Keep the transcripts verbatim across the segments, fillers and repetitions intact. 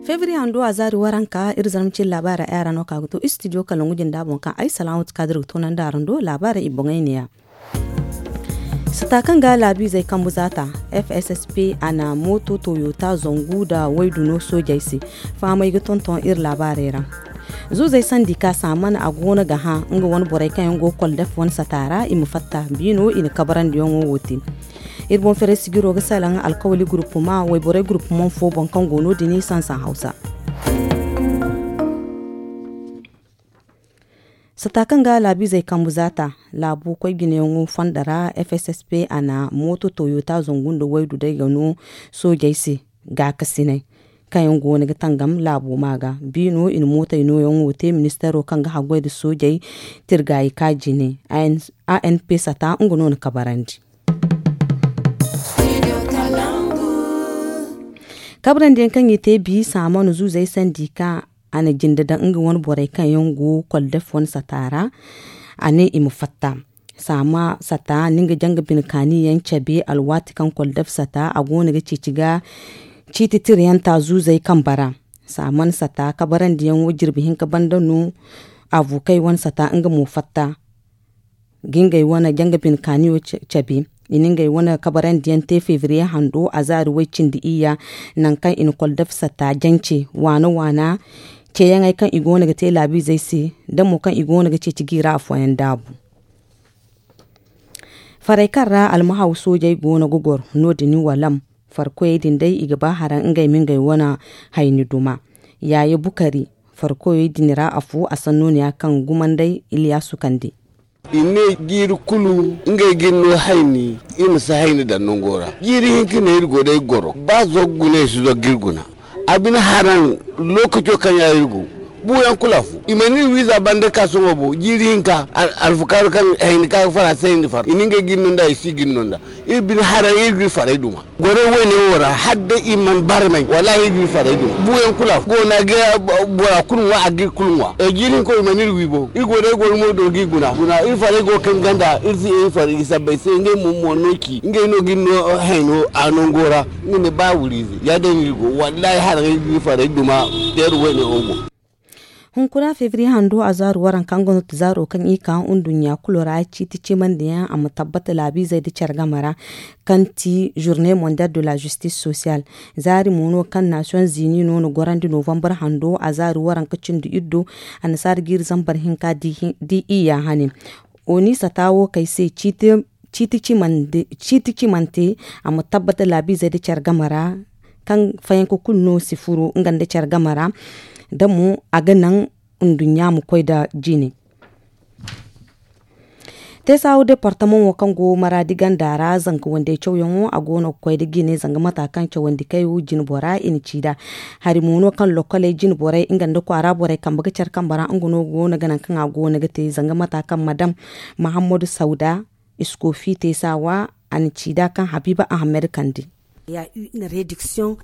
Fevrier hando a zaari waranka iri zarma cin laabaara ay ra no ka ga to studio kalangu jinda boŋ kaŋ ay salaamatu kadir ga toonandi araŋ do laabaara i boŋey neeya. Sata kaŋ ga laabiizey kambu zaata, fssp a na mooto toyota zangu nda waydu no soojey se. Fahamey ga tonton iri laabaarey ra. Zuuzey sandi ka saaman a goono ga hã nga wane borey kaŋ yaŋ go koldef wane sata ra i ma fatta biino i na kabarandiyaŋo wo te. Iri boŋ fere sijiro ga salaŋ alkawali gurupuma wayborey gurupuma fo boŋ kaŋ go no- din sansan hawsa. Sata kaŋ ga laabiizey kambu zaata, laabo koy jinayaŋo fonda ra fssp a na mooto toyota zangu nda waydu day ga no soojey se gaakasiney kaŋ yaŋ goono ga tangam laabo ma ga. Biino i na mootey nooyaŋo te ministeero kaŋ ga haggoy nda soojey tirgaayi ka jine. Anp sata nga no na kabarandi. Kabarandiyaŋ kaŋ i te bi saamanu zuuzey sandi ka a na jinde daŋ nga wane borey kaŋ yaŋ go koldef wane sata ra. A ne i ma fatta saama sata ni nga janga bine kaani yaŋ cabe alwaati kaŋ koldef sata a goono ga ceeci ga ciiti tiriyanta zuuzey kambe ra. Saaman sata kabarandiyaŋo jirbi hinka banda no. Avukey wane sata nga mo fatta ga ngey wane janga bine kaaniyo cabe. I na ngey wane kabarandiyaŋ te fevriye hando a zaari way cindi iyya nangu kaŋ i na koldef sata jance waana waana ceeyaŋey kaŋ i goono ga te laabiizey se da mo kaŋ i goono ga ceeci jiira afooyaŋ daabu. Farey kaŋ ra almahaw soojey goono ga goro no- din walam farkoyey din day i ga ba haraŋ ngey ma ngey wane hayni duma. Yaaye bukari farkoyey din ra afo a sanno ne ya kaŋ gumandey iliyasu kande. I ne jiiri kulu ngey ga iri no hayni iri ma si hayni daŋ nango ra. Jiiri hinka ne iri go day goro ba zoggu ne i si zoggu iri guna. A bine haraŋ lookaco kaŋ ya iri go buuyaŋ kulu afo i mana iri wiiza banda ka sohõ bo jiiri hinka. Alfakaaru kaŋ hayni ka ga fara se hayni far i na ngey ga iri no nd'a i si ga iri no nd'a. Iri bine haraŋ iri ga iri farey duma. Gorey wayne wo ra hala day i mana barmay wallaahi iri ga iri farey duma buuyaŋ kulu afo go no a ga bora kulu ŋwa a ga iri kulu ŋwa. Jiiri hinka wo i mana iri wi bo iri go day goro mo do ga iri guna guna iri farey go ga kaŋ ganda iri si iri farey sabbay se ngey mo mo no ci ngey no ga iri no hayno a nango ra. Nga ne ba wuriize ya- din no iri go wallaahi haraŋ iri ga iri farey duma. Teeru wayne wo go. Hunkuna fevriye hando a zaaru waranka nga no ti zaaro kaŋ i ka nduɲɲa kulu ra ciiti cimandiyaŋ a ma tabbata laabiizey nda care game ra kaŋ ti journée mondiale de la justice sociale. Zaari mo no kaŋ nations unis no na gorandi novembre hando a zaaru waranka cindi iddo annasaara jiiri zambar hinka di iyya hane. Oni sata wo kay se ciiti cimante a ma tabbata laabiizey nda care game ra kaŋ fayanka kulu no si furo nga nda care game ra. Da mo a ga naŋ nduɲɲa ma koy nda jine. Teesawo departamaŋo kaŋ go maraadi ganda ra zanka wandey cawyaŋo a go no ga koy nda jine zanga mata kaŋ cawandi kayo jine bora i na ci nd'a. Hari mo no kaŋ lokkoley jine borey nga nda kwaara borey kambe ga care kambe ra nga no go no ga naŋ kaŋ a go no ga te zanga mata kaŋ madam mahammadu sauda iskofi teesawa a na ci nd'a kaŋ habiiba ahamed kande.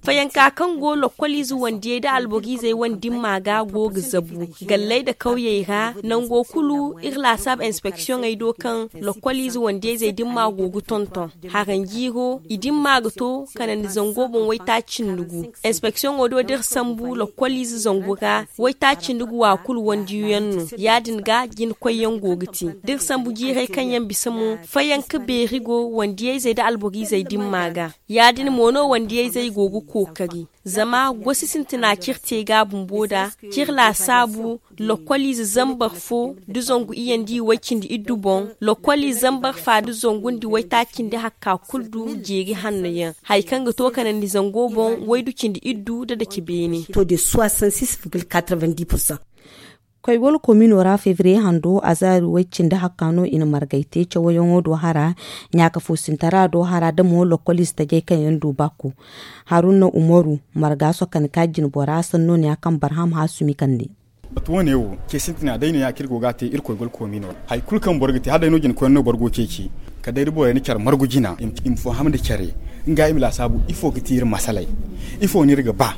Fayanka kaŋ go lokkoliize wandiyey nda alboriizey wane dimma ga go ga zabu galley nda kawyey ra nango kulu iri laasaabu inspeksiyoŋey do kaŋ lokkoliize wandiyey zey dimma go ga tonton. Haranjiiro i dimma ga to kanandi zango boŋ waytaaci nda gu. Inspeksiyoŋo do da iri sambu lokkoliize zangu ra waytaaci nda gu wa kulu wandiyo yaŋ no. Ya- din ga jina koyyaŋ go ga te da iri sambu jiirey kaŋ yaŋ bisa mo fayanka beeri go wandiyayzey nda alboriizey dimma ga. Ya- din mo no wandiyayzey go ga kookari zama gosi sintina kaŋ iri te ga bumbo nd'a kaŋ iri laasaabu lokkoliize zambar fo nda zangu iyye nda i way cindi iddu boŋ. Lokkoliize zambar fa nda zangu nda waytaaci nda hakka kulu du jeeri hanno yaŋ hari kaŋ ga to kanandi zango boŋ waydu cindi iddu nda dace beene. Koy wala komino ra fevriye hando azaari way cindi hakka no i na margay te cawayaŋo do hara ɲaaka fo sintara do hara da mo lokkoliize tajay kaŋ yaŋ du bakku. Haruna umaru marga sokani ka jine bora sanno ne ya kaŋ barham hasumi kande. Batu wane wo ce sintina day no ya kaŋ iri go ga a te irkoy gol komino ra hari kulu kaŋ boro ga te hala day no jine koyne no boro go ceeci kala day da borey na care margu jina i ma faham nda care nga i ma laasaabu ifo ga ti iri masaley ifo no iri ga ba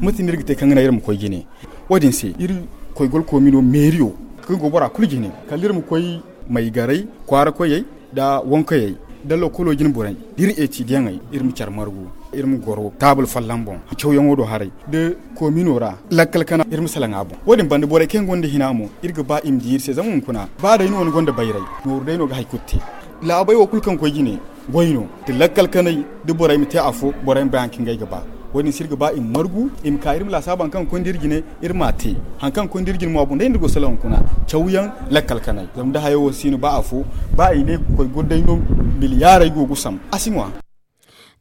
mate no iri ga te kaŋ ga naŋ iri ma koy jine. Wo- din se iri koy gol komino meeriyo kaŋ go bora kulu jine kala iri ma koy maygaray kwaara koyey Da wankayey da lokolo jine borey da iri etidiyaŋey, iri ma care margu, iri ma goro taabul folloŋ boŋ, cawyaŋo do haray da komino ra, lakkal kana iri ma salaŋ a boŋ. Wo-din banda borey kaŋ gonda hina mo, iri ga ba i ma di iri se zama hunkuna ba day no ni gonda bayray, nooru day no ga hari kulu te. Laabey wo kulu kaŋ koy jine goy no, da lakkal kanay da borey ma te afo, borey ma bay hari kaŋ ga ay ga ba. Wo-din se iri ga ba i ma margu, i ma ka iri ma laasaaba hari kaŋ ga koy nda iri jine, iri m'a te. Hari kaŋ ga koy nda iri jine mo a boŋ day no iri go salaŋ hunkuna, cawyaŋ, lakkal kanay zama da hayo wo si no ba afo, ba i ne ga koy goro day no, miliyaarey go ga sam a si ŋwa.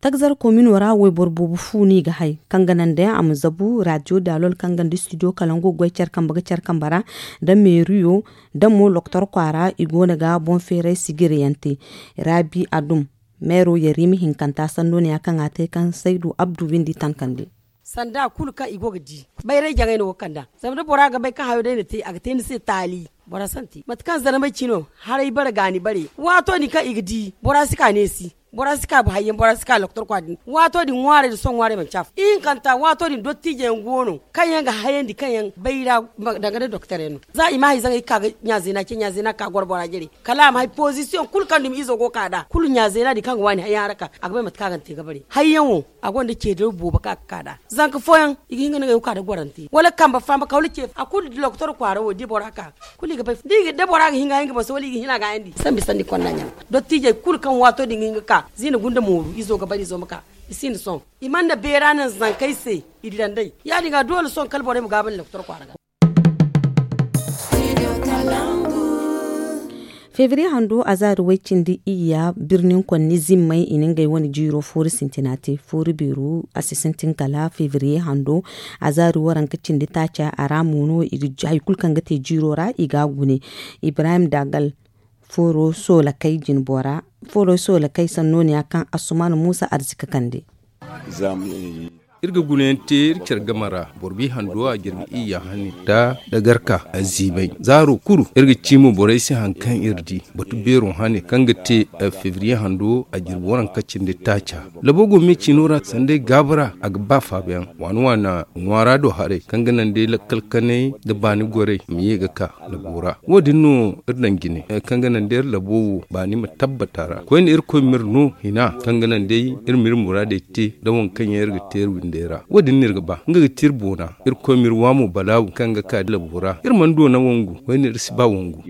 Tagzar komino ra wayboro boobo fu no i ga hay kaŋ ga naŋ day a ma zabu radio daalol kaŋ gonda studio kalango goy care kambe ga care kambe ra, nda meeriyo, nda mo loktor kwaara i go no ga boŋ feeray sijiryaŋ te. Raabi adum, meero yarima hinkanta sanno ne ya kaŋ a te kaŋ saydu abdu windi tankandi. Sanda kulu kaŋ i go ga di, bayray jaŋay no go ga kand'a. Zama da bora ga bay kaŋ hayo day na te a ga te ni se taali. Bora si a te mate kaŋ zarmay ci no, haray bare gaani bare. Waato din kaŋ i ga di bora si ka neesi, bora si ka ba hayyaŋ, bora si ka loktor kwa din. Waato din ŋwaarey da sohõ ŋwaarey manci afo ihinkanta waato din dottiijey yaŋ go no kaŋ yaŋ ga hayandi kaŋ yaŋ bayra. Danga da doktor yaŋ no za i ma hay zaŋay ga ka ga ɲaazeena ce ɲaazeena ga ka goro bora jare, kala a ma hay pozisiyoŋ kulu kaŋ dumi izo go ga ka nd'a kulu ɲaazeena din kaŋ ga waani hayyaŋ ra ka a ga bay mate kaŋ a ga ni te ga bare hayyaŋo. A gonda ceedaro boobo kaŋ a ga ka nd'a zanka fooyaŋ i ga hin ga nangey wo ka nda gorante wala kambe faama ka wala ce a kulu da loktor kwaara wo da bora ka kulu i ga bay da bora ga hin ga hin ga boŋ se wala i ga hin a gaayandi sambi sanni konna ɲaŋ. Dottiijey kulu kaŋ waato din ga hin ga ka ziina gunda mooru izo ga bare izo ma ka i sinda sohõ. I mana beera naŋ zankey se i dira nd'ey ya- din ga doole sohõ kala borey ma gaabandi loktor kwaara ga. Febriye hando a zaari way cindi iyya birnin konni zimmey i na ngey wane jiiro foori sintina te foori beeru a si sintin kala febriye hando. A zaari waranka cindi taaca a ra mo no i ga hari kulu kaŋ ga te jiiro ra i ga a gune. Ibrahim dagal fooro soolakey jinbora fooro soolakey sanno ne ya kaŋ asuman muusa arzika kande. Iri ga gunayaŋ te iri care game ra boro bi hando a jirbi iyya hani da dagarka a ziibay zaaro kulu iri ga ci mo borey se hari kaŋ iri di batu beero hane kaŋ ga te febriye hando a jirbi waranka cindi taaca. Labo go me ciino ra sanday gaabu ra a ga ba faabayaŋ waana waana ŋwaara do haray kaŋ ga naŋ day lakkal kanay nda baani gorey ma ye ga ka labo ra. Wo- din no iri daŋ jine kaŋ ga naŋ day iri labo wo baani ma tabbata ra koyne irkoy ma iri no hina kaŋ ga naŋ day iri ma iri muraadey te nda waŋ kaŋ yaŋ iri ga te iri windey ra wo- din no iri ga ba nga ga ti iri boona. Irkoy ma iri waamo balaabu kaŋ ga ka da labo ra iri mana doona wangu koyne iri si ba wangu.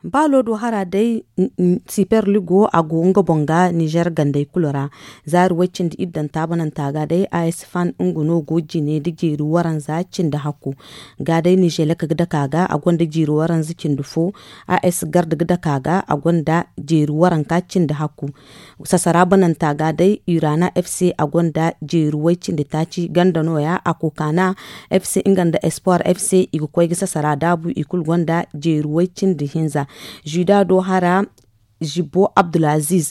Baalo do hara day siper ligo a go nga boŋ ga nizer gandey kulu ra. Zaari way cindi iddan taabananta ga day a s fan nga no go jine nda jeeri waranza cindi hakku. Ga day nizelek ga dake a ga a gonda jeeri waranza cindi fo. A s garda ga dake a ga a gonda jeeri waranka cindi hakku. Sasara bananta ga day urana fc a gonda jeeri way cindi taaci ganda no- ya a kokaana fc nga nda espoir fc i ga koy ga sasara daabu i kulu gonda jeeri way cindi hinza. Juda do hara zibbo abdulaziz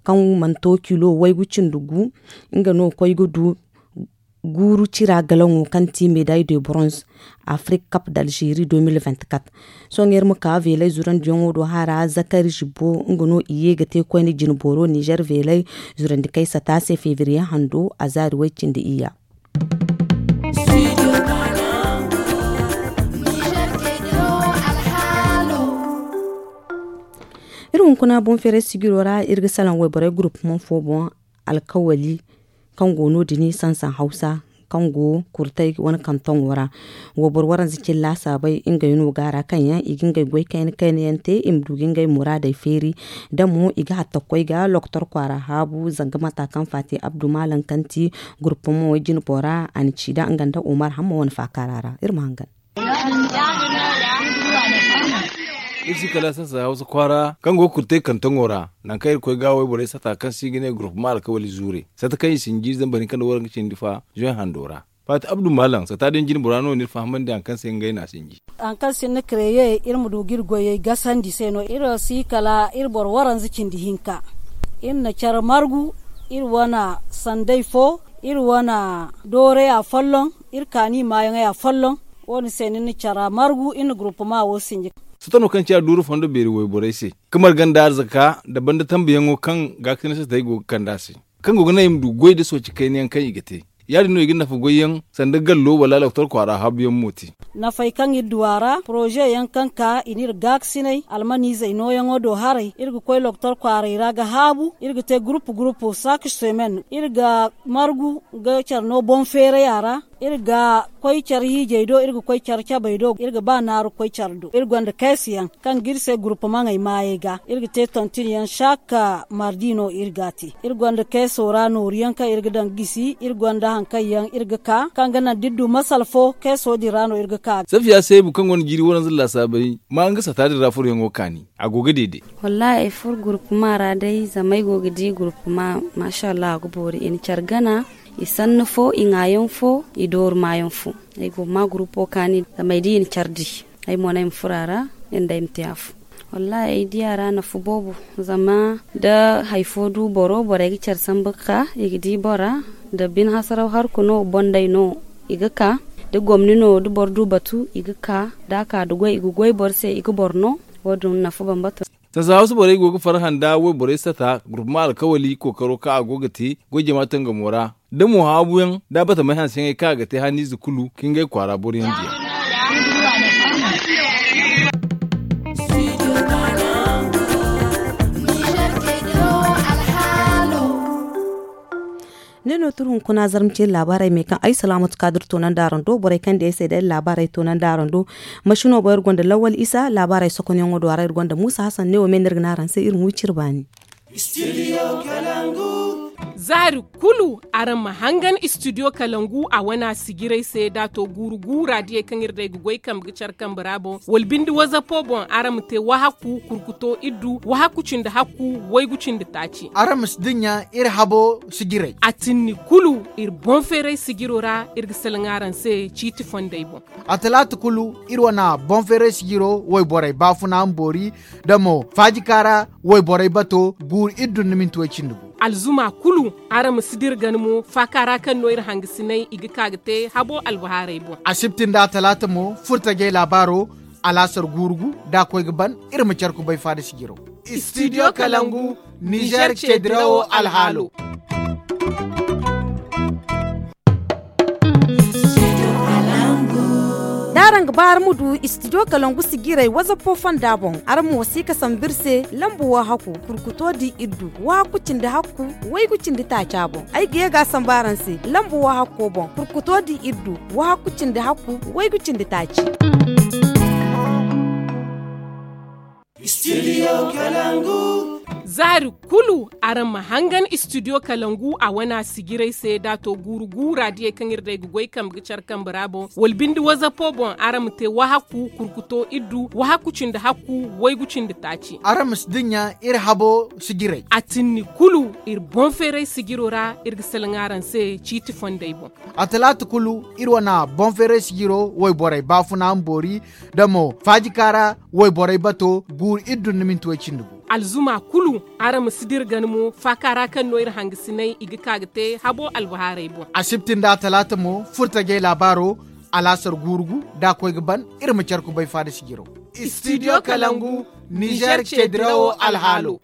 kaŋ mana to kilo waygu cindi gu nga no koy ga du guuru cira galaŋo kaŋ ti meday de bronze afrik kap d'algeri deux mille vingt-quatre. Sohõ iri ma ka velay zurandiyaŋo do hara zakari zibbo nga no i ye ga te koyne jinboro nizer velay zurandi kay sata se febriye hando a zaari way cindi iyya. Iri hunkuna boŋ feeray sijiro ra iri ga salaŋ wayborey gurupmaŋ fo boŋ alkawali kaŋ go no- din sansan hawsa kaŋ go kurtay wane kantoŋo ra. Wayboro waranza cilla saabay ngey no ga a ra kaŋ yaŋ i ga ngey goy kayna kayna yaŋ te i ma du ga ngey muraadey feeri. Da mo i ga hatta ga koy ga loktor kwaara haabu zanga mata kaŋ faati abdu maalam kaŋ ti gurupmaŋ way jinbo ra a na ci da nga nda umar hamma wane faakaara ra iri ma hangan. Iri si kala sasa hawsa kwaara kaŋ go ga kurtay kantoŋo ra nangu kaŋ iri ga koy ga wayborey sata kaŋ se i ga ne gurupmaŋ alkawali zuure sata kaŋ i sinji zamba hinka nda waranka cindi fa zoy hando ra. Faati abdu maalam sata din jinbo ra no no iri fahamandi hari kaŋ se ngey no a sinji. Hari kaŋ se ni na kareye iri ma du ga iri goyey gasandi se no iri si kala iri boro waranza cindi hinka. Iri na care margu iri wane sanday fo iri wane doorey afolloŋ iri kaani maayaŋey afolloŋ. Wo- din se ni na cara margu iri na gurupama wo sinji. Soto no kaŋ ciya duuru fondo beeri wayborey se ka marga nda arzaka nda banda tambuyaŋo kaŋ gaakasina se tay go ga kand'a se kaŋ go ga naŋ i ma du goy nda sooci kayna yaŋ kaŋ i ga te. Ya- din no i ga nafa goy yaŋ sanda gallo wala lokotor kwaara haabu yaŋ mo te. Nafey kaŋ iri du a ra poroze yaŋ kaŋ ka i n'iri gaakasinay almaniizey nooyaŋo do haray iri ga koy lokotor kwaaray ra ga haabu iri ga te gurupu gurupu saak semen iri ga margu ga care no boŋ feeray a ra. Iri ga koy care hiijey do iri ga koy care cabey do iri ga ba naaru koy care do iri gonda keesi yaŋ kaŋ ga iri se gurupu maŋey maayey ga iri ga te tontin yaŋ saak mardi no iri ga a te. Iri gonda keeso ra nooru yaŋ kaŋ iri ga daŋ ga gisi iri gonda hari kaŋ yaŋ iri ga ka kaŋ ga naŋ da iri du masala fo keeso din ra no iri ga ka. Safiya seebu kaŋ gonda jiiri waranza laasaabey ma nga sata din ra furoyaŋo kaani a go ga deede. Wallaahi ay furo gurpuma ra day zama ay go ga di gurpuma, maasa allah a ga boori i na care gana, i sanni fo i ŋwaayaŋ fo, i dooru maayaŋ fo. Ay go ga ma gurpo kaani zama ay di i na care di. Ay mo no ay ma furo a ra, iri nda ay ma te afo. Wallaahi ay di a ra nafa boobo, zama da hari fo du boro borey ga care sambu ga ka i ga di bora, da bine hasaraw harku no bondey no i ga ka, da gomni no da boro du batu i ga ka, da a ka da goy i ga goy boro se i ga boro no. Wo- din nafa bambata. Sasaawa si borey go ga farhã nda wayborey sata gurpuma alkawali kookaro kaŋ a go ga te goy jama tangamo ra, da mo haabuyaŋ da batamey hanseyaŋey kaŋ a ga te hanniize kulu ka ngey kwaara boroyaŋ diya. Ne no turu hunkuna zarma cine laabaarey me kaŋ ay salaamatu kaadir toonandi araŋ do borey kaŋ di ay se day laabaarey toonandi araŋ do. Masino boŋ iri gonda lawal isa laabaarey sokonyaŋo do a ra iri gonda muusa hasan ne wo me no iri ga ne araŋ se iri ma wi cire baani. Zaari kulu araŋ ma hangan istidiyo kalangu a wana sijirey se da a to guuru guura diyey kaŋ iri day ga goy kambe ga care kambe ra boŋ wala binde wazapo boŋ araŋ ma te wahakku kurkuto iddu wahakku cindi hakku waygu cindi taaci. Araŋ ma si dinya iri habo sijirey a tinni kulu. Iri boŋ feeray sijiro ra iri ga salaŋ araŋ se ciiti fondey boŋ. A talaata kulu iri wana boŋ feeray sijiro wayborey baafuna ma boori da mo faajika ra wayborey bato guuru iri dun ni minti way cindi gu. Alzuma kulu araŋ ma si dira gana mo faaka ra kaŋ no iri hangasinay i ga ka ga te habo albahaarey boŋ. Asibti nda a talaata mo furtajey laabaaro alaasar guuru gu da a koy ga ban. Iri ma care kubay faada sijiro. Istidiyo kalangu nizer ceedirawo alhaalo. Da araŋ ga ba araŋ ma du istidiyo kalangu sijirey wazapo fonda boŋ araŋ ma wasi ka sambu iri se lambu wahakku kurkuto di iddu wahakku cindi hakku waygu cindi taaca boŋ. Ay ga ye ga a sambu araŋ se lambu wahakko boŋ kurkuto di iddu wahakku cindi hakku waygu cindi taaci. Zaari kulu araŋ ma hangan istidiyo kalangu a wana sijirey se da a to guuru guura diyey kaŋ iri day ga goy kambe ga care kambe ra boŋ wala binde wazapo boŋ araŋ ma te wahakku kurkuto iddu wahakku cindi hakku waygu cindi taaci. Araŋ ma si dinya iri habo sijirey a tinni kulu iri boŋ feeray sijiro ra iri ga salaŋ araŋ se ciiti fondey boŋ. A talaata kulu iri wana boŋ feeray sijiro wayborey baafuna ma boori da mo faajika ra wayborey bato guuru iri dun ni minti way cindi gu. Alzuma kulu araŋ ma si dira gana mo faaka ra kaŋ no iri hangasinay i ga ka ga te habo albahaarey boŋ. Asibti nda a talaata mo furtajey laabaaro alaasar guuru gu da a koy ga ban. Iri ma care kubay faada sijiro. Istidiyo kalangu nizer ceedirawo alhaalo.